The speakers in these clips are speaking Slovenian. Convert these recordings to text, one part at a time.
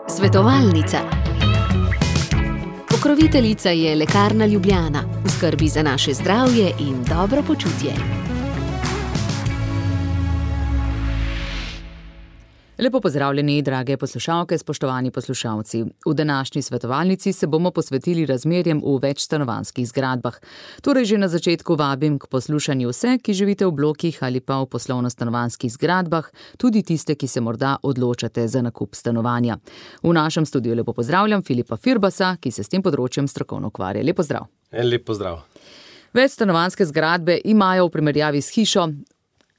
Svetovalnica. Pokroviteljica je Lekarna Ljubljana, v skrbi za naše zdravje in dobro počutje. Lepo pozdravljeni, drage poslušalke, spoštovani poslušalci. V današnji svetovalnici se bomo posvetili razmerjem v večstanovanjskih zgradbah. Torej že na začetku vabim k poslušanju vse, ki živite v blokih ali pa v poslovno-stanovanjskih zgradbah, tudi tiste, ki se morda odločate za nakup stanovanja. V našem studiu lepo pozdravljam Filipa Firbasa, ki se s tem področjem strokovno ukvarja. Lep pozdrav. En lep pozdrav. Večstanovanjske zgradbe imajo v primerjavi s hišo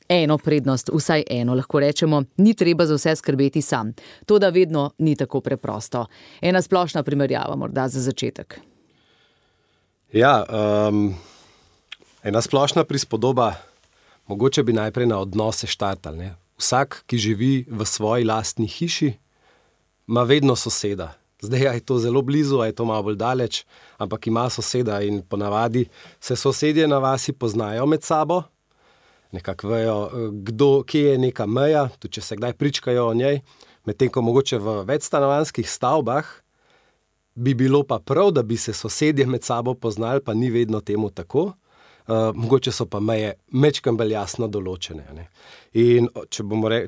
eno prednost, vsaj eno, lahko rečemo, ni treba za vse skrbeti sam. To, da vedno ni tako preprosto. Ena splošna primerjava morda za začetek. Ja, ena splošna prispodoba, mogoče bi najprej na odnose štartali, ne. Vsak, ki živi v svoji lastni hiši, ima vedno soseda. Zdaj, a je to zelo blizu, a je to malo bolj daleč, ampak ima soseda in ponavadi se sosedje na vasi poznajo med sabo, nekako vejo, kje je neka meja, tudi če se kdaj pričkajo o njej, medtem ko mogoče v večstanovanjskih stavbah bi bilo pa prav, da bi se sosedje med sabo poznali, pa ni vedno temu tako. Mogoče so pa meje majčkeno bolj jasno določene, ne. In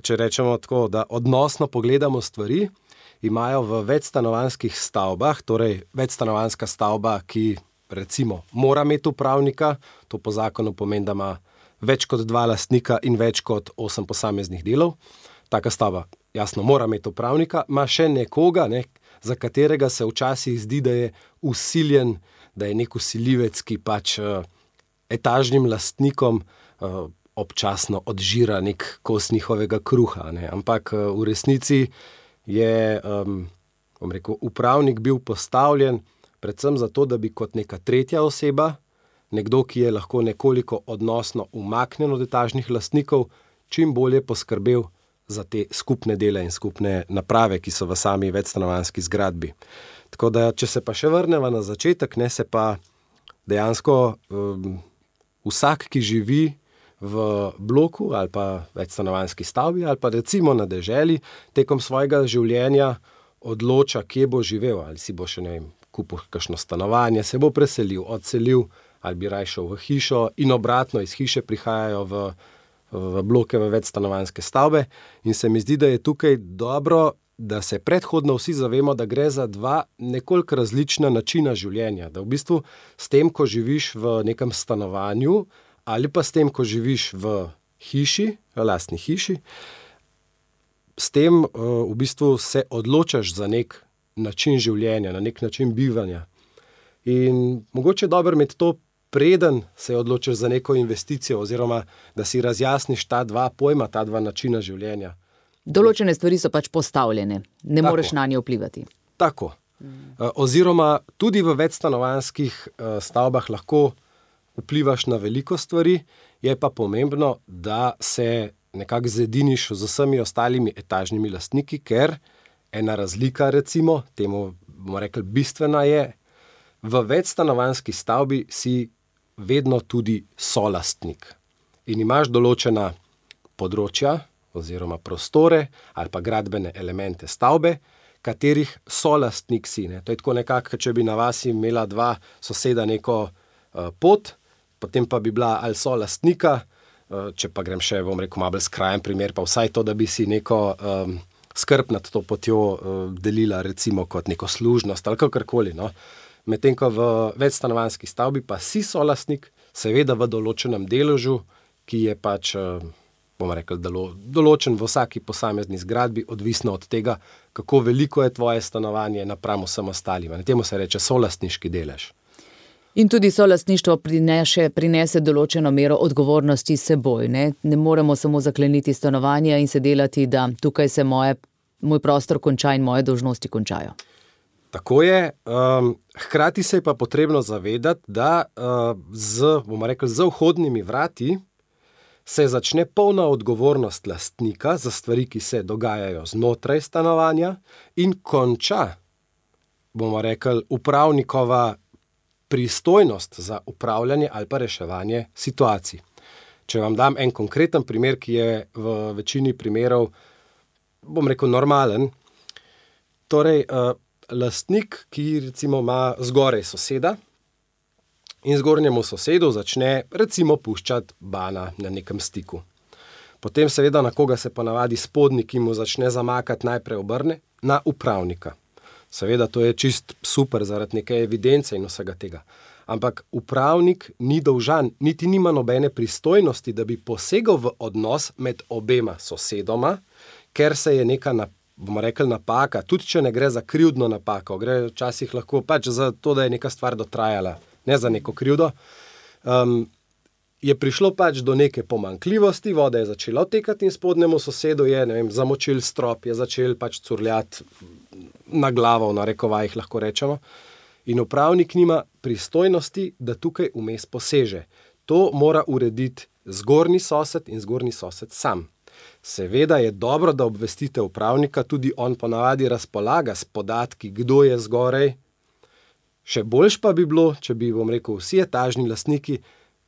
če rečemo tako, da odnosno pogledamo stvari, imajo v večstanovanjskih stavbah, torej večstanovanjska stavba, ki recimo mora imeti upravnika, to po zakonu pomeni, da ima več kot 2 lastnika in več kot 8 posameznih delov. Taka stavba, jasno, mora imeti upravnika, ima še nekoga, ne, za katerega se včasih zdi, da je vsiljen, da je nek vsiljivec, ki pač etažnim lastnikom občasno odžira nek kos njihovega kruha, ne. Ampak v resnici je, upravnik bil postavljen predvsem zato, da bi kot neka tretja oseba, nekdo, ki je lahko nekoliko odnosno umaknjen od etažnih lastnikov, čim bolje poskrbel za te skupne dele in skupne naprave, ki so v sami večstanovanjski zgradbi. Tako da, če se pa še vrneva na začetek, ne, se pa dejansko vsak, ki živi v bloku ali pa večstanovanjski stavbi ali pa recimo na deželi, tekom svojega življenja odloča, kje bo živel, ali si bo še, ne vem, kupil kakšno stanovanje, se bo preselil, odselil, ali bi raje šel v hišo in obratno, iz hiše prihajajo v bloke, v večstanovanjske stavbe. In se mi zdi, da je tukaj dobro, da se predhodno vsi zavemo, da gre za 2 nekoliko različna načina življenja. Da v bistvu s tem, ko živiš v nekem stanovanju, ali pa s tem, ko živiš v hiši, v lastni hiši, s tem v bistvu se odločaš za nek način življenja, na nek način bivanja. In mogoče je dobro imeti to, preden se odločiš za neko investicijo, oziroma da si razjasniš ta 2 pojma, ta 2 načina življenja. Določene stvari so pač postavljene, ne moreš na nje vplivati. Tako. Oziroma tudi v večstanovanjskih stavbah lahko vplivaš na veliko stvari, je pa pomembno, da se nekako zediniš z vsemi ostalimi etažnimi lastniki, ker ena razlika, recimo, temu bomo rekli bistvena je, v večstanovanjski stavbi si vedno tudi solastnik. In imaš določena področja oziroma prostore ali pa gradbene elemente stavbe, katerih solastnik si, ne. To je tako nekako, če bi na vasi imela 2 soseda neko pot, potem pa bi bila ali solastnika, če pa grem še, bom rekel, malo bolj skrajen primer, pa vsaj to, da bi si neko skrb nad to potjo delila recimo kot neko služnost ali kakorkoli, no. Medtem ko v večstanovanjski stavbi pa si solastnik, seveda v določenem deležu, ki je pač, bomo rekli, določen v vsaki posamezni zgradbi, odvisno od tega, kako veliko je tvoje stanovanje napram vsem ostalim. Temu se reče solastniški delež. In tudi solastništvo prinese določeno mero odgovornosti s seboj, ne? Ne moremo samo zakleniti stanovanja in se delati, da tukaj se moj prostor konča in moje dolžnosti končajo. Tako je, hkrati se je pa potrebno zavedati, da bomo rekli, z vhodnimi vrati se začne polna odgovornost lastnika za stvari, ki se dogajajo znotraj stanovanja in konča, bomo rekli, upravnikova pristojnost za upravljanje ali pa reševanje situacij. Če vam dam en konkreten primer, ki je v večini primerov bom rekel, normalen. Torej, lastnik, ki recimo ima zgoraj soseda in zgornjemu sosedu začne recimo puščati bana na nekem stiku. Potem seveda na koga se ponavadi spodnji, ki mu začne zamakati, najprej obrne na upravnika. Seveda to je čist super zaradi neke evidence in vsega tega. Ampak upravnik ni dolžan, niti nima nobene pristojnosti, da bi posegal v odnos med obema sosedoma, ker se je neka, bomo rekli, napaka, tudi če ne gre za krivdno napako, gre včasih lahko pač za to, da je neka stvar dotrajala, ne za neko krivdo, je prišlo pač do neke pomanjkljivosti, voda je začela odtekati in spodnjemu sosedu je, ne vem, zamočil strop, je začel pač curljati na glavo, v narekovajih lahko rečemo. In upravnik nima pristojnosti, da tukaj vmes poseže. To mora urediti zgornji sosed in zgornji sosed sam. Seveda je dobro, da obvestite upravnika, tudi on ponavadi razpolaga s podatki, kdo je zgoraj. Še boljš pa bi bilo, če bi, bom rekel, vsi etažni lastniki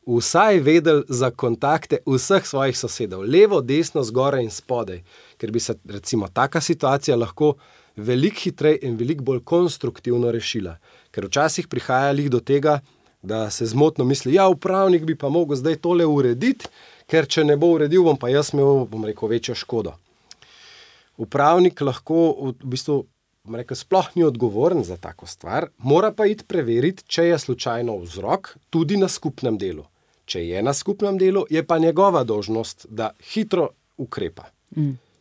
vsaj vedeli za kontakte vseh svojih sosedov, levo, desno, zgoraj in spodaj, ker bi se recimo taka situacija lahko veliko hitreje in veliko bolj konstruktivno rešila. Ker včasih prihaja do tega, da se zmotno misli, ja, upravnik bi pa mogel zdaj tole urediti, ker če ne bo uredil, bom pa jaz imel, bom rekel, večjo škodo. Upravnik lahko v bistvu, bom rekel, sploh ni odgovoren za tako stvar, mora pa iti preveriti, če je slučajno vzrok tudi na skupnem delu. Če je na skupnem delu, je pa njegova dolžnost, da hitro ukrepa.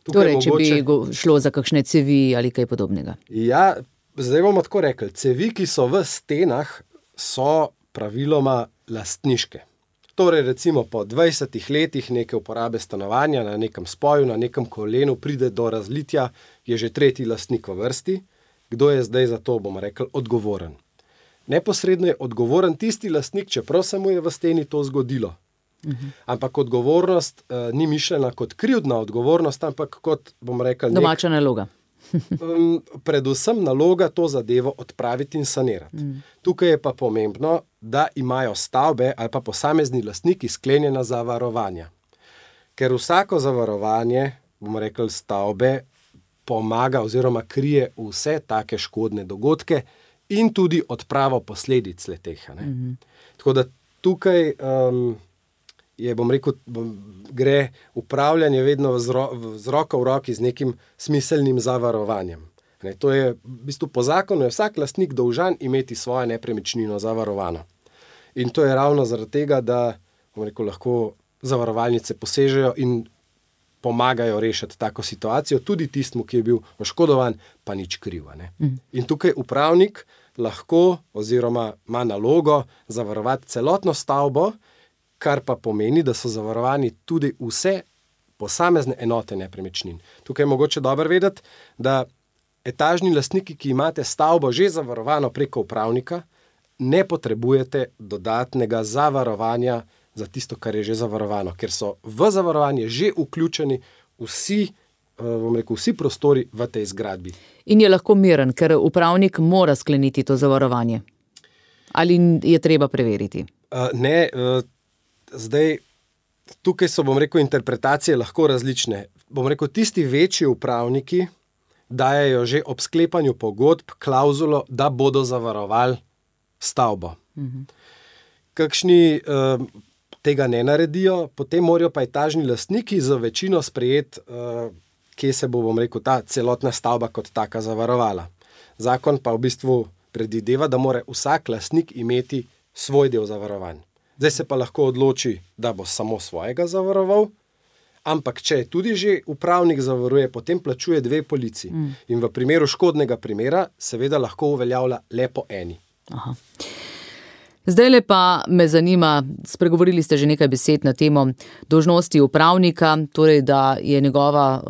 Torej, če bi šlo za kakšne cevi ali kaj podobnega. Ja, zdaj bomo tako rekli, cevi, ki so v stenah, so praviloma lastniške. Torej, recimo po 20 letih neke uporabe stanovanja na nekem spoju, na nekem kolenu pride do razlitja, je že tretji lastnik v vrsti. Kdo je zdaj za to, bomo rekli, odgovoren? Neposredno je odgovoren tisti lastnik, čeprav se mu je v steni to zgodilo. Ampak odgovornost ni mišljena kot krivdna odgovornost, ampak kot, bomo rekli, domača naloga. Predvsem naloga to zadevo odpraviti in sanirati. Tukaj je pa pomembno, da imajo stavbe ali pa posamezni lastniki sklenjena zavarovanja. Ker vsako zavarovanje, bomo rekli, stavbe pomaga oziroma krije vse take škodne dogodke in tudi odpravo posledic le-teh. Tako da tukaj je, bom rekel, gre upravljanje vedno z roko v roki z nekim smiselnim zavarovanjem. To je, v bistvu po zakonu je vsak lastnik dolžan imeti svojo nepremičnino zavarovano. In to je ravno zaradi tega, da, bom rekel, lahko zavarovalnice posežejo in pomagajo rešiti tako situacijo, tudi tistmu, ki je bil oškodovan, pa nič kriv. In tukaj upravnik lahko oziroma ima nalogo zavarovati celotno stavbo, kar pa pomeni, da so zavarovani tudi vse posamezne enote nepremičnin. Tukaj je mogoče dobro vedeti, da etažni lastniki, ki imate stavbo že zavarovano preko upravnika, ne potrebujete dodatnega zavarovanja za tisto, kar je že zavarovano, ker so v zavarovanje že vključeni vsi, bom rekel, vsi prostori v tej zgradbi. In je lahko miren, ker upravnik mora skleniti to zavarovanje. Ali je treba preveriti? Ne, zdaj, tukaj so, bom rekel, interpretacije lahko različne. Bom rekel, tisti večji upravniki dajejo že ob sklepanju pogodb klauzulo, da bodo zavarovali stavbo. Kakšni tega ne naredijo, potem morajo pa etažni lastniki za večino sprejeti, kje se bo, bom rekel, ta celotna stavba kot taka zavarovala. Zakon pa v bistvu predvideva, da mora vsak lastnik imeti svoj del zavarovanj. Zdaj se pa lahko odloči, da bo samo svojega zavaroval, ampak če tudi že upravnik zavaruje, potem plačuje 2 polici. In v primeru škodnega primera seveda lahko uveljavlja le po eni. Aha. Zdajle pa me zanima, spregovorili ste že nekaj besed na temo dolžnosti upravnika, torej da je njegova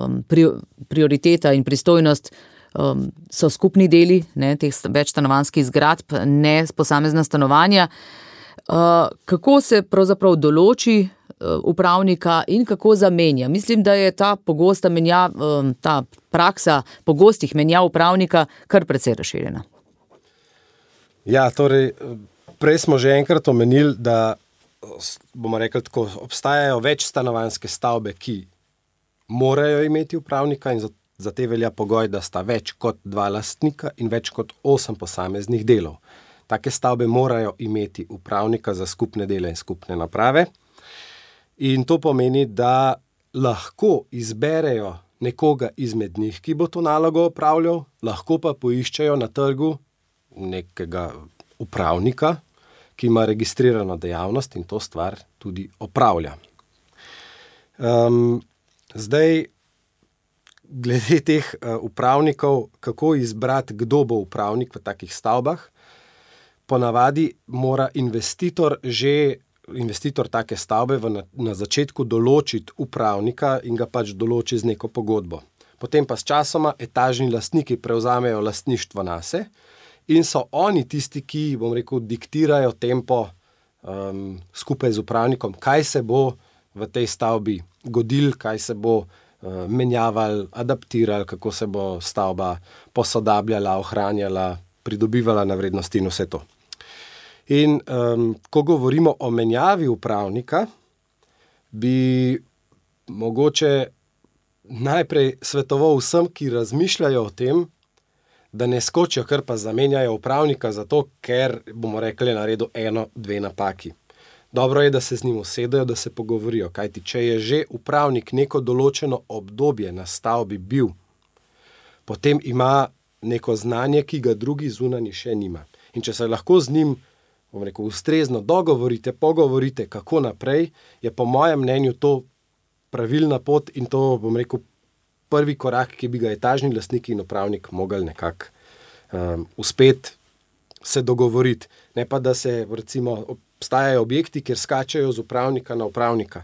prioriteta in pristojnost so skupni deli, teh večstanovanjskih zgradb, ne posamezna stanovanja. Kako se pravzaprav določi upravnika in kako zamenja? Mislim, da je ta praksa pogostih menjav upravnika kar precej razširjena. Ja, torej, prej smo že enkrat omenili, da, bomo rekli tako, obstajajo večstanovanjske stavbe, ki morajo imeti upravnika in za te velja pogoj, da sta več kot 2 lastnika in več kot 8 posameznih delov. Take stavbe morajo imeti upravnika za skupne dele in skupne naprave. In to pomeni, da lahko izberejo nekoga izmed njih, ki bo to nalogo opravljal, lahko pa poiščejo na trgu nekega upravnika, ki ima registrirano dejavnost in to stvar tudi opravlja. Zdaj, glede teh upravnikov, kako izbrati, kdo bo upravnik v takih stavbah, ponavadi mora investitor take stavbe na začetku določiti upravnika in ga pač določi z neko pogodbo. Potem pa s časoma etažni lastniki prevzamejo lastništvo nase in so oni tisti, ki, diktirajo tempo skupaj z upravnikom, kaj se bo v tej stavbi godil, kaj se bo menjaval, adaptiral, kako se bo stavba posodabljala, ohranjala, pridobivala na vrednosti in vse to. In ko govorimo o menjavi upravnika, bi mogoče najprej svetoval vsem, ki razmišljajo o tem, da ne skočijo, kar pa zamenjajo upravnika zato, ker, bomo rekli, naredil 1-2 napaki. Dobro je, da se z njim usedejo, da se pogovorijo, kajti če je že upravnik neko določeno obdobje na stavbi bil, potem ima neko znanje, ki ga drugi zunanji še nima. In če se lahko z njim, ustrezno dogovorite, pogovorite, kako naprej, je po mojem mnenju to pravilna pot in to, prvi korak, ki bi ga etažni lastniki in upravnik mogli nekako uspeti se dogovoriti. Ne pa, da se, obstajajo objekti, kjer skačejo z upravnika na upravnika.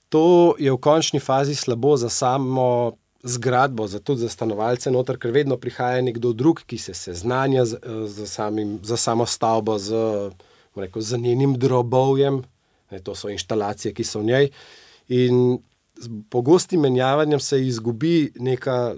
To je v končni fazi slabo za samo zgradbo, tudi za stanovalce noter, ker vedno prihaja nekdo drug, ki se seznanja za samo stavbo, z njenim drobovjem. To so inštalacije, ki so v njej. In s pogostim menjavanjem se izgubi neka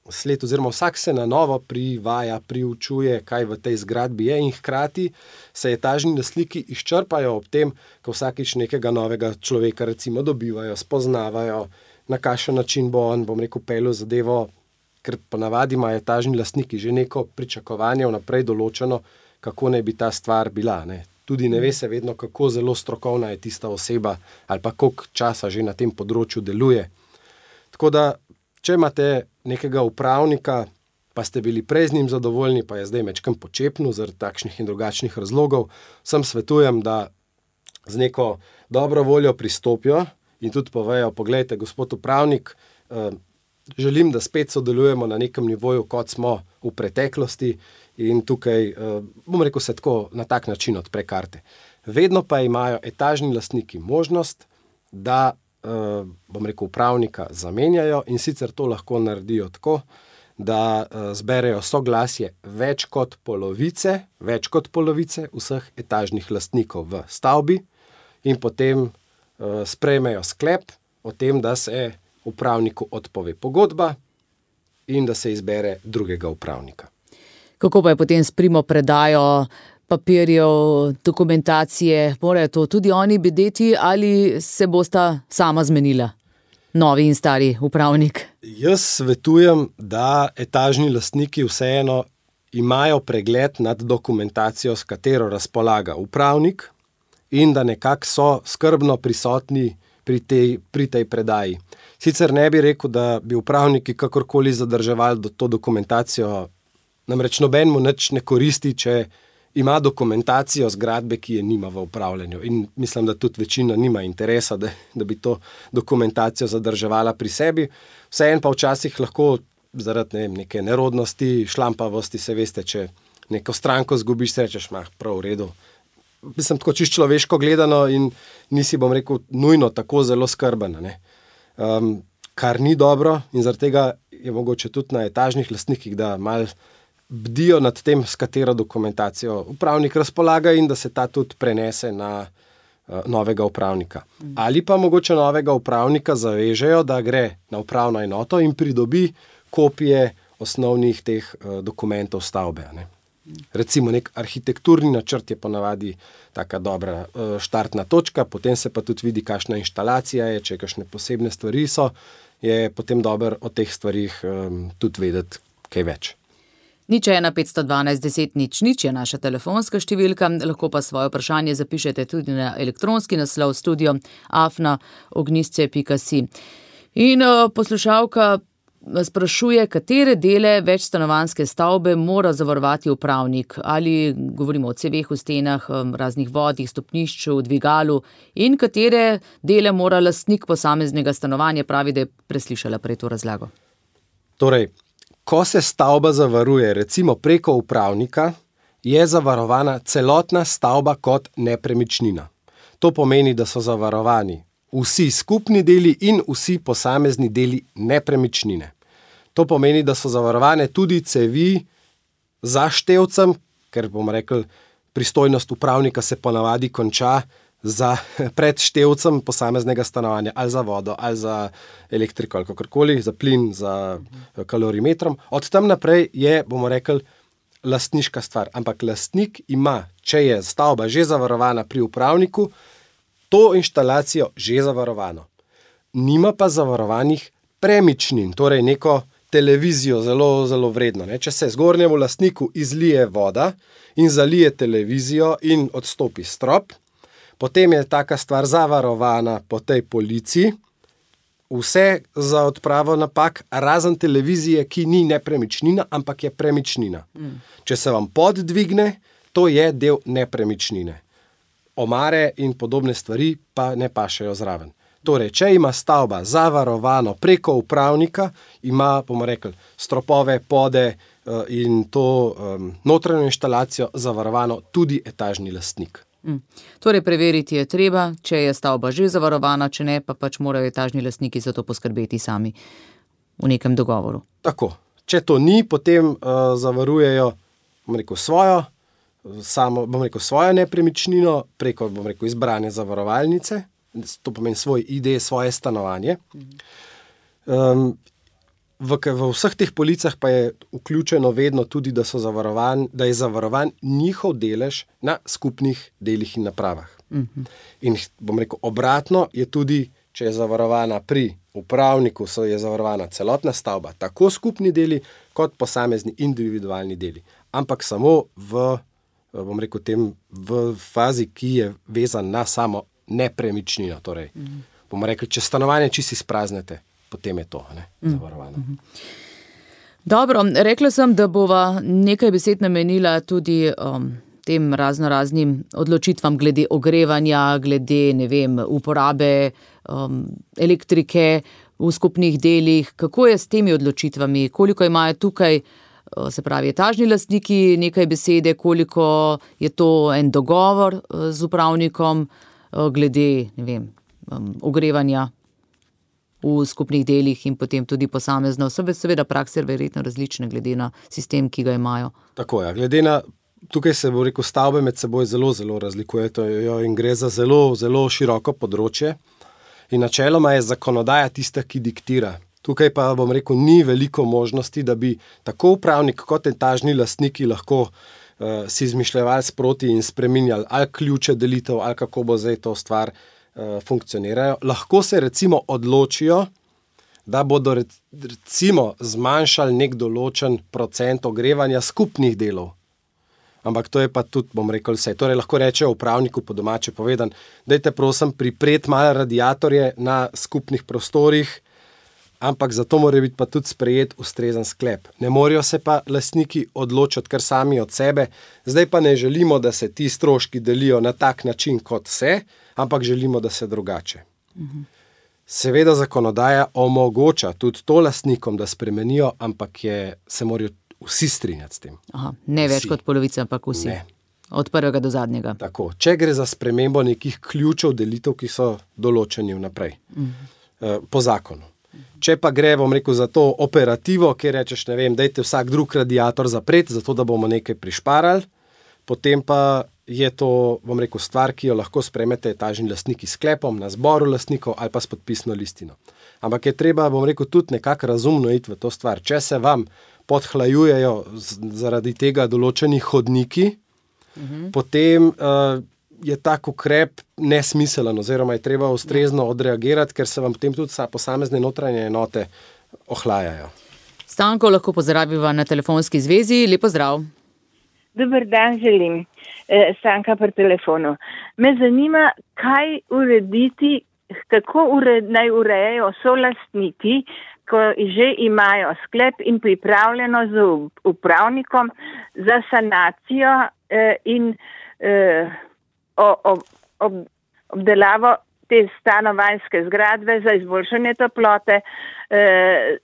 sled, oziroma vsak se na novo privaja, priučuje, kaj v tej zgradbi je in hkrati se etažni lastniki izčrpajo ob tem, ko vsakič nekega novega človeka dobivajo, spoznavajo, na kakšen način bo on, peljal zadevo, ker ponavadi imajo etažni lastniki že neko pričakovanje vnaprej določeno, kako naj bi ta stvar bila, ne. Tudi ne ve se vedno, kako zelo strokovna je tista oseba ali pa koliko časa že na tem področju deluje. Tako da, če imate nekega upravnika, pa ste bili prej z njim zadovoljni, pa je zdaj mečkam počepnil zaradi takšnih in drugačnih razlogov, sem svetujem, da z neko dobro voljo pristopijo in tudi povejo, poglejte, gospod upravnik, želim, da spet sodelujemo na nekem nivoju, kot smo v preteklosti in tukaj, se tako na tak način odpre karte. Vedno pa imajo etažni lastniki možnost, da, upravnika zamenjajo in sicer to lahko naredijo tako, da zberejo soglasje več kot polovice vseh etažnih lastnikov v stavbi in potem sprejmejo sklep o tem, da se upravniku odpove pogodba in da se izbere drugega upravnika. Kako pa je potem s primopredajo papirjev, dokumentacije? Morajo to tudi oni bedeti ali se bosta sama zmenila, novi in stari upravnik? Jaz svetujem, da etažni lastniki vseeno imajo pregled nad dokumentacijo, s katero razpolaga upravnik, in da nekako so skrbno prisotni pri tej predaji. Sicer ne bi rekel, da bi upravniki kakorkoli zadrževali to dokumentacijo, namreč nobenemu nič ne koristi, če ima dokumentacijo zgradbe, ki je nima v upravljanju. In mislim, da tudi večina nima interesa, da bi to dokumentacijo zadrževala pri sebi. Vseeno pa včasih lahko zaradi neke nerodnosti, šlampavosti, se veste, če neko stranko zgubiš, se rečeš, prav v redu. Mislim, tako čisto človeško gledano in nisi, nujno tako zelo skrben, ne. Kar ni dobro in zaradi tega je mogoče tudi na etažnih lastnikih, da malo bdijo nad tem, s katero dokumentacijo upravnik razpolaga in da se ta tudi prenese na novega upravnika. Ali pa mogoče novega upravnika zavežejo, da gre na upravno enoto in pridobi kopije osnovnih teh dokumentov stavbe, ne. Recimo nek arhitekturni načrt je ponavadi taka dobra štartna točka, potem se pa tudi vidi, kakšna inštalacija je, če kakšne posebne stvari so je potem dobro o teh stvarih tudi vedeti kaj več. 01 512 10 00 je naša telefonska številka, lahko pa svoje vprašanje zapišete tudi na elektronski naslov studio@ognistce.si. In poslušalka sprašuje, katere dele večstanovanjske stavbe mora zavarovati upravnik, ali govorimo o ceveh v stenah, raznih vodih, stopnišču, dvigalu, in katere dele mora lastnik posameznega stanovanja, pravi, da je preslišala prej to razlago. Torej, ko se stavba zavaruje, recimo preko upravnika, je zavarovana celotna stavba kot nepremičnina. To pomeni, da so zavarovani vsi skupni deli in vsi posamezni deli nepremičnine. To pomeni, da so zavarovane tudi cevi za števcem, ker bomo rekli, pristojnost upravnika se ponavadi konča pred števcem posameznega stanovanja, ali za vodo, ali za elektriko, ali kakorkoli, za plin, za kalorimetrom. Od tam naprej je, bomo rekli, lastniška stvar. Ampak lastnik ima, če je stavba že zavarovana pri upravniku, to inštalacijo že zavarovano. Nima pa zavarovanih premičnin, torej neko televizijo zelo, zelo vredno. Če se zgornjemu lastniku izlije voda in zalije televizijo in odstopi strop, potem je taka stvar zavarovana po tej polici, vse za odpravo napak, razen televizije, ki ni nepremičnina, ampak je premičnina. Če se vam pod dvigne, to je del nepremičnine. Omare in podobne stvari pa ne pašejo zraven. Torej, če ima stavba zavarovano preko upravnika, ima, bomo rekli, stropove, pode in to notranjo inštalacijo zavarovano tudi etažni lastnik. Torej, preveriti je treba, če je stavba že zavarovana, če ne, pa pač morajo etažni lastniki za to poskrbeti sami v nekem dogovoru. Tako. Če to ni, potem zavarujejo, bomo rekel, svojo nepremičnino preko, bomo rekel, izbrane zavarovalnice, to pomeni svoj ID, svoje stanovanje. V vseh teh policah pa je vključeno vedno tudi, da je zavarovan njihov delež na skupnih delih in napravah. In bom rekel, obratno je tudi, če je zavarovana pri upravniku, je zavarovana celotna stavba, tako skupni deli, kot posamezni individualni deli. Ampak samo v fazi, ki je vezan na samo nepremičnino. Torej, bomo rekli, če stanovanje čisto izpraznete, potem je to zavarovano. Dobro, rekla sem, da bova nekaj besed namenila tudi tem raznoraznim odločitvam glede ogrevanja, glede, uporabe elektrike v skupnih delih. Kako je s temi odločitvami? Koliko imajo tukaj, se pravi, etažni lastniki nekaj besede, koliko je to en dogovor z upravnikom glede, ogrevanja v skupnih delih in potem tudi posamezno. Seveda prakse verjetno različne glede na sistem, ki ga imajo. Tako je, glede na, tukaj se bo rekel, stavbe med seboj zelo, zelo razlikujejo in gre za zelo, zelo široko področje. In načeloma je zakonodaja tista, ki diktira. Tukaj pa, bom rekel, ni veliko možnosti, da bi tako upravnik kot etažni lastniki lahko si izmišljevali sproti in spreminjali ali ključe delitev, ali kako bo zdaj to stvar funkcionirajo. Lahko se recimo odločijo, da bodo recimo zmanjšali nek določen procent ogrevanja skupnih delov. Ampak to je pa tudi, bom rekel, vse. Torej lahko rečejo upravniku po domače povedan, dajte prosim pripreti malo radiatorje na skupnih prostorih, ampak zato mora biti pa tudi sprejet ustrezen sklep. Ne morajo se pa lastniki odločiti kar sami od sebe, zdaj pa ne želimo, da se ti stroški delijo na tak način kot se, ampak želimo, da se drugače. Seveda zakonodaja omogoča tudi to lastnikom, da spremenijo, ampak se morajo vsi strinjati s tem. Ne več kot polovica, ampak vsi. Ne. Od prvega do zadnjega. Tako. Če gre za spremembo nekih ključev delitev, ki so določeni vnaprej, po zakonu. Če pa gre, bom rekel, za to operativo, kjer rečeš, dajte vsak drug radiator zapreti, zato da bomo nekaj prišparali, potem pa je to, bom rekel, stvar, ki jo lahko sprejmete etažni lastniki s sklepom na zboru lastnikov ali pa s podpisno listino. Ampak je treba, bom rekel, tudi nekako razumno iti v to stvar. Če se vam podhlajujejo zaradi tega določeni hodniki, potem je tak ukrep nesmiselen oziroma je treba ustrezno odreagirati, ker se vam potem tudi posamezne notranje enote ohlajajo. Stanko lahko pozdraviva na telefonski zvezi. Lep pozdrav. Dober dan želim. Stanka pri telefonu. Me zanima, kaj urediti, kako naj urejajo solastniki, ko že imajo sklep in pripravljeno z upravnikom za sanacijo in obdelavo te stanovanjske zgradbe za izboljšanje toplote,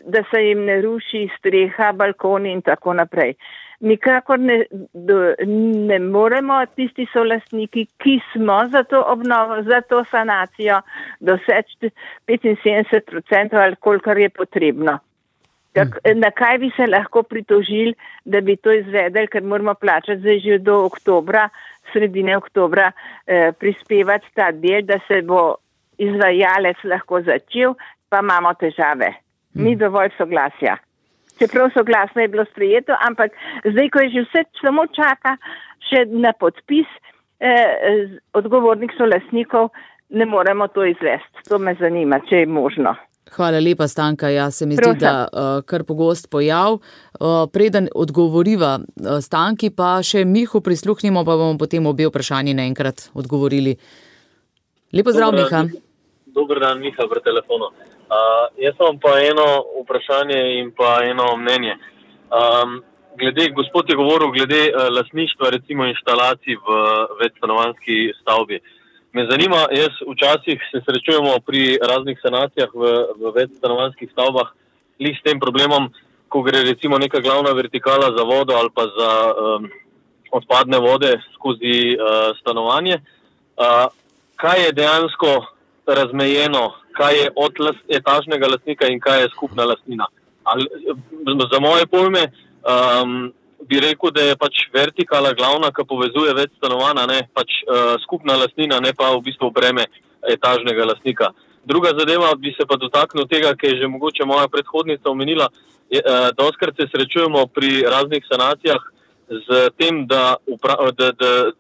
da se jim ne ruši streha, balkoni in tako naprej. Nikakor ne moremo tisti solastniki, ki smo za to obnovo, za to sanacijo, doseči 75% ali kolikor je potrebno. Na kaj bi se lahko pritožili, da bi to izvedeli, ker moramo plačati zdaj že do oktobra, sredine oktobra, prispevati ta del, da se bo izvajalec lahko začel, pa imamo težave. Ni dovolj soglasja. Čeprav soglasno je bilo sprejeto, ampak zdaj, ko je že vse samo čaka še na podpis odgovornih solastnikov, ne moremo to izvesti. To me zanima, če je možno. Hvala lepa, Stanka. Ja, se mi zdi, da kar pogost pojav. Preden odgovoriva Stanki, pa še Mihu prisluhnimo, pa bomo potem obe vprašanji naenkrat odgovorili. Lepo zdrav, Miha. Dober dan, Miha, pri telefonu. Jaz imam pa eno vprašanje in pa eno mnenje. Gospod je govoril glede lastništva, recimo inštalacij v večstanovanjski stavbi. Me zanima, jaz včasih se srečujemo pri raznih sanacijah v večstanovanjskih stavbah s tem problemom, ko gre recimo neka glavna vertikala za vodo ali pa za odpadne vode skozi stanovanje. Kaj je dejansko razmejeno, kaj je od etažnega lastnika in kaj je skupna lastnina? Za moje pojme bi rekel, da je pač vertikala glavna, ki povezuje več stanovana, ne pač skupna lastnina, ne pa v bistvu breme etažnega lastnika. Druga zadeva bi se pa dotaknil tega, ki je že mogoče moja predhodnica omenila, dostikrat se srečujemo pri raznih sanacijah z tem, da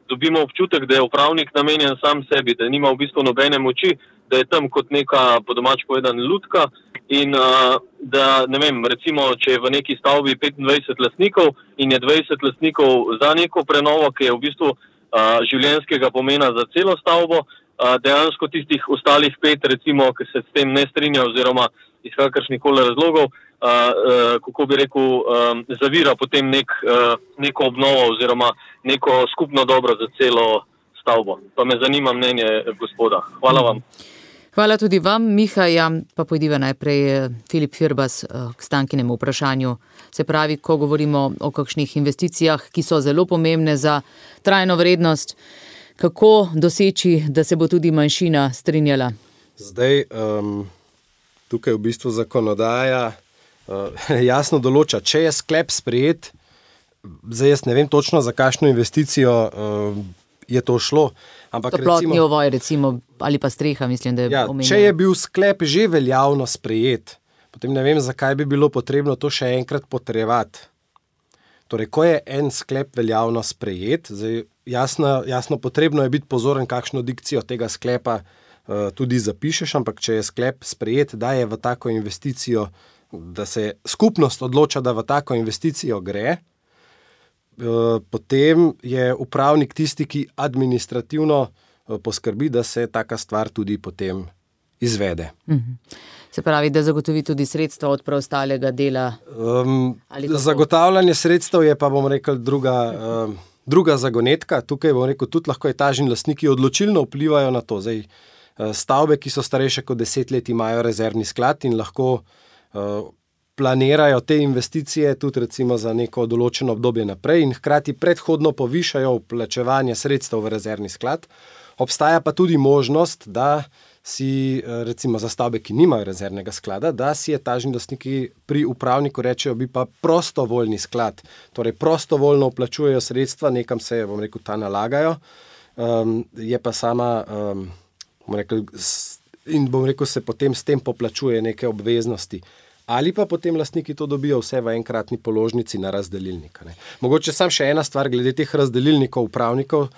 dobimo občutek, da je upravnik namenjen sam sebi, da nima v bistvu nobene moči, da je tam kot neka, po domač povedan, lutka in da, ne vem, recimo, če je v neki stavbi 25 lastnikov in je 20 lastnikov za neko prenovo, ki je v bistvu življenjskega pomena za celo stavbo, dejansko tistih ostalih 5, recimo, ki se s tem ne strinja oziroma iz kakršnikoli razlogov, kako bi rekel, zavira potem neko obnovo oziroma neko skupno dobro za celo stavbo. Pa me zanima mnenje gospoda. Hvala vam. Hvala tudi vam, Miha. Ja, pa pojdiva najprej Filip Firbas k Stankinemu vprašanju. Se pravi, ko govorimo o kakšnih investicijah, ki so zelo pomembne za trajno vrednost, kako doseči, da se bo tudi manjšina strinjala? Zdaj, tukaj v bistvu zakonodaja jasno določa, če je sklep sprejet, zdaj jaz ne vem točno, za kakšno investicijo je to šlo. Toplotni ovoj, recimo, ali pa streha, mislim, da je omenjeno. Če je bil sklep že veljavno sprejet, potem ne vem, zakaj bi bilo potrebno to še enkrat potrjevati. Torej, ko je en sklep veljavno sprejet, zdaj jasno potrebno je biti pozoren, kakšno dikcijo tega sklepa tudi zapišeš, ampak če je sklep sprejet, da je v tako investicijo, da se skupnost odloča, da v tako investicijo gre, potem je upravnik tisti, ki administrativno poskrbi, da se taka stvar tudi potem izvede. Se pravi, da zagotovi tudi sredstva od preostalega dela? Zagotavljanje sredstev je pa, bom rekel, druga zagonetka. Tukaj, bom rekel, tudi lahko etažni lastniki odločilno vplivajo na to. Zdaj, stavbe, ki so starejše kot 10 let, imajo rezervni sklad in lahko planirajo te investicije tudi recimo za neko določeno obdobje naprej in hkrati predhodno povišajo vplačevanje sredstev v rezervni sklad. Obstaja pa tudi možnost, da si recimo za stavbe, ki nimajo rezervnega sklada, da si etažni lastniki pri upravniku rečejo, bi pa prostovoljni sklad, torej prostovoljno vplačujejo sredstva, nekam se, bom rekel, ta nalagajo, je pa sama, bom rekel, se potem s tem poplačuje neke obveznosti. Ali pa potem lastniki to dobijo vse v enkratni položnici na razdelilnik. Mogoče samo še ena stvar glede teh razdelilnikov upravnikov.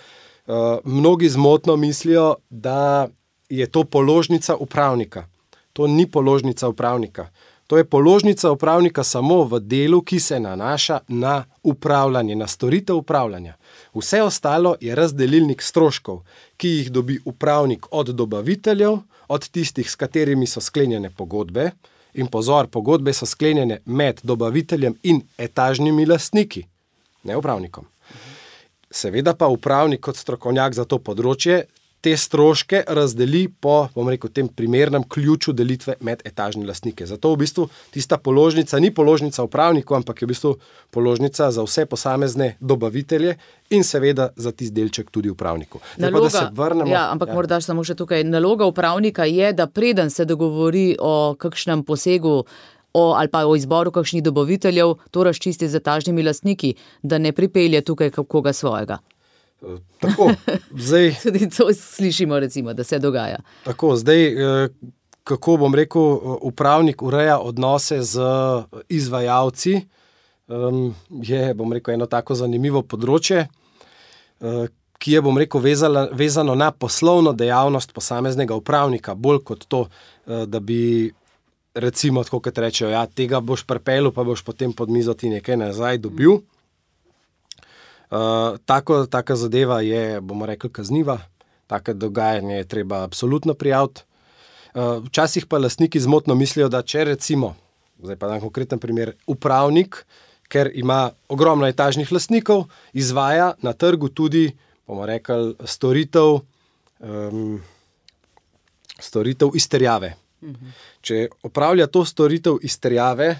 mnogi zmotno mislijo, da je to položnica upravnika. To ni položnica upravnika. To je položnica upravnika samo v delu, ki se nanaša na upravljanje, na storitev upravljanja. Vse ostalo je razdelilnik stroškov, ki jih dobi upravnik od dobaviteljev, od tistih, s katerimi so sklenjene pogodbe. In pozor, pogodbe so sklenjene med dobaviteljem in etažnimi lastniki, ne upravnikom. Seveda pa upravnik kot strokovnjak za to področje te stroške razdeli po, tem primernem ključu delitve med etažne lastnike. Zato v bistvu tista položnica ni položnica upravniku, ampak je v bistvu položnica za vse posamezne dobavitelje in seveda za tisti delček tudi upravniku. Naloga, da se vrnemo, morda samo še tukaj. Naloga upravnika je, da preden se dogovori o kakšnem posegu ali pa o izboru kakšnih dobaviteljev, to razčisti z etažnimi lastniki, da ne pripelje tukaj koga svojega. Tako, zdaj... Tudi to slišimo, recimo, da se dogaja. Tako, zdaj, kako upravnik ureja odnose z izvajalci, je, eno tako zanimivo področje, ki je, vezano na poslovno dejavnost posameznega upravnika, bolj kot to, da bi, recimo, tako kot rečejo, ja, tega boš pripeljal, pa boš potem pod mizo ti nekaj nazaj dobil. Taka zadeva je, kazniva, tako dogajanje je treba absolutno prijaviti. Včasih pa lastniki zmotno mislijo, da če recimo, zdaj pa dam konkreten primer, upravnik, ker ima ogromno etažnih lastnikov, izvaja na trgu tudi, storitev izterjave. Če opravlja to storitev izterjave,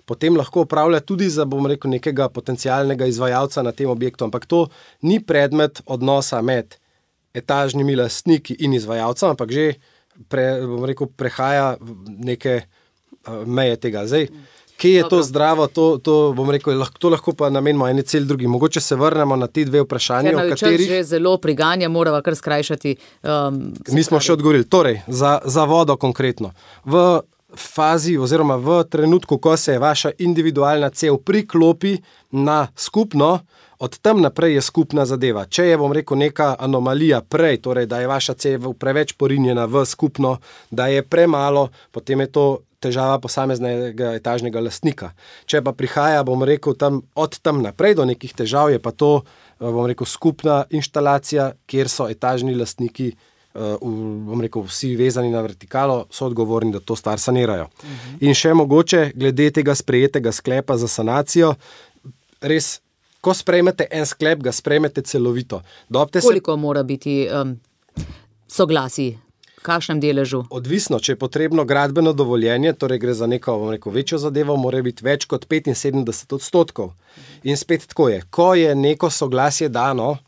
potem lahko opravlja tudi za, nekega potencialnega izvajalca na tem objektu, ampak to ni predmet odnosa med etažnimi lastniki in izvajalcem, ampak že prehaja neke meje tega. Zdaj, kje je to zdravo, to lahko pa namenimo eni cel drugi. Mogoče se vrnemo na ti dve vprašanje, o katerih... Ker že zelo priganja, morava kar skrajšati. Nismo še odgovorili. Torej, za vodo konkretno. V fazi oziroma v trenutku, ko se vaša individualna cev priklopi na skupno, od tam naprej je skupna zadeva. Če je, neka anomalija prej, torej, da je vaša cev preveč porinjena v skupno, da je premalo, potem je to težava posameznega etažnega lastnika. Če pa prihaja, od tam naprej do nekih težav, je pa to, skupna inštalacija, kjer so etažni lastniki vsi vezani na vertikalo, so odgovorni, da to stvar sanirajo. In še mogoče, glede tega sprejetega sklepa za sanacijo, res, ko sprejmete en sklep, ga sprejmete celovito. Koliko mora biti soglasij? V kakšnem deležu? Odvisno, če je potrebno gradbeno dovoljenje, torej gre za neko večjo zadevo, mora biti več kot 75%. In spet tako je, ko je neko soglasje dano,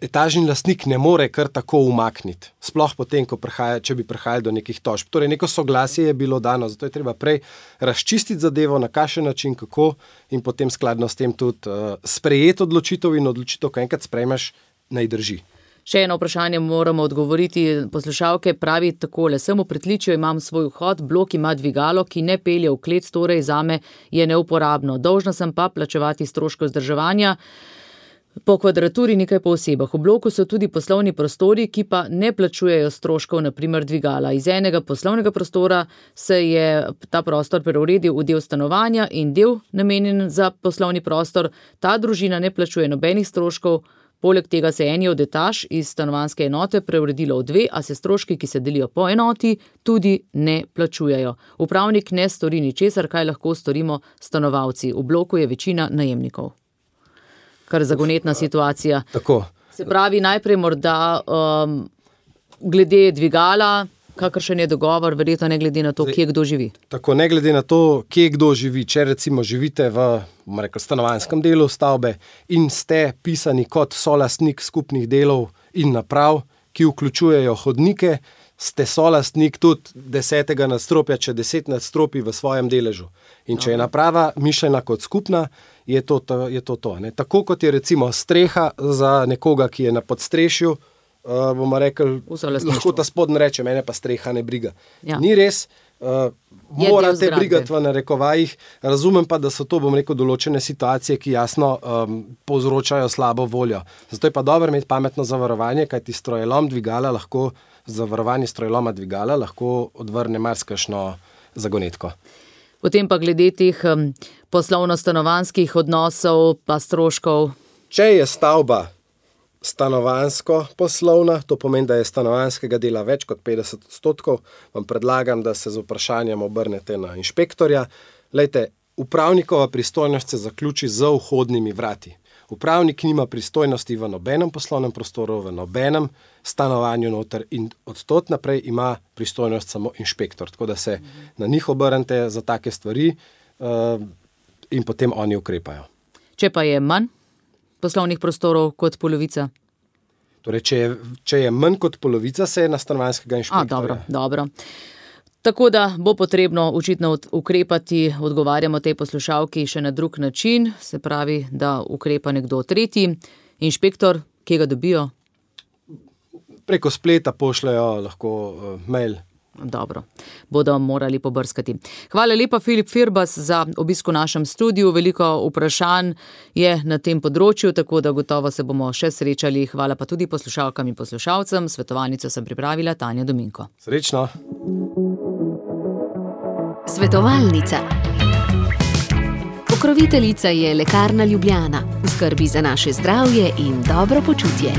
etažni lastnik ne more kar tako umakniti. Sploh potem, če bi prihajali do nekih tožb. Torej, neko soglasje je bilo dano, zato je treba prej razčistiti zadevo, na kakšen način, kako in potem skladno s tem tudi sprejeti odločitev in odločitev, ko enkrat sprejmeš, naj drži. Še eno vprašanje moramo odgovoriti. Poslušalke pravi takole: sem v pritličju, imam svoj vhod, blok ima dvigalo, ki ne pelje v klet, torej zame je neuporabno. Dolžna sem pa plačevati stroške vzdrževanja po kvadraturi, nekaj po osebah. V bloku so tudi poslovni prostori, ki pa ne plačujejo stroškov, naprimer dvigala. Iz enega poslovnega prostora se je ta prostor preuredil v del stanovanja in del namenjen za poslovni prostor. Ta družina ne plačuje nobenih stroškov. Poleg tega se eni od etaž iz stanovanjske enote preuredilo v dve, a se stroški, ki se delijo po enoti, tudi ne plačujejo. Upravnik ne stori ničesar, kaj lahko storimo stanovalci. V bloku je večina najemnikov. Kar zagonetna situacija. Tako. Se pravi, najprej morda glede dvigala, kakršen je dogovor, verjetno ne glede na to, kje kdo živi. Tako, ne glede na to, kje kdo živi. Če recimo živite v stanovanjskem delu stavbe in ste pisani kot solastnik skupnih delov in naprav, ki vključujejo hodnike, ste solastnik tudi 10. nadstropja, če 10 nadstropij v svojem deležu. In če je naprava mišljena kot skupna, je to. Ne? Tako kot je recimo streha za nekoga, ki je na podstrešju, bomo rekli, lahko ta spodnji reče, mene pa streha ne briga. Ja. Ni res, morate brigati v narekovajih. Razumem pa, da so to, določene situacije, ki jasno povzročajo slabo voljo. Zato je pa dobro imeti pametno zavarovanje, kajti zavarovanje strojloma dvigala lahko odvrne marsikakšno zagonetko. Potem pa glede teh poslovno-stanovanjskih odnosov pa stroškov. Če je stavba stanovanjsko-poslovna, to pomeni, da je stanovanjskega dela več kot 50%, vam predlagam, da se z vprašanjem obrnete na inšpektorja. Glejte, upravnikova pristojnost se zaključi z vhodnimi vrati. Upravnik nima pristojnosti v nobenem poslovnem prostoru, v nobenem stanovanju noter in od tod naprej ima pristojnost samo inšpektor. Tako da se na njih obrnete za take stvari in potem oni ukrepajo. Če pa je manj poslovnih prostorov kot polovica? Torej, če je manj kot polovica, se je na stanovanjskega inšpektorja. Dobro. Tako da bo potrebno očitno ukrepati, odgovarjamo tej poslušalki še na drug način, se pravi, da ukrepa nekdo tretji. Inšpektor, kje ga dobijo? Preko spleta pošljajo lahko mail. Dobro, bodo morali pobrskati. Hvala lepa, Filip Firbas, za obisk v našem studiu. Veliko vprašanj je na tem področju, tako da gotovo se bomo še srečali. Hvala pa tudi poslušalkam in poslušalcem. Svetovalnico sem pripravila Tanja Dominko. Srečno. Svetovalnica. Pokroviteljica je Lekarna Ljubljana. V skrbi za naše zdravje in dobro počutje.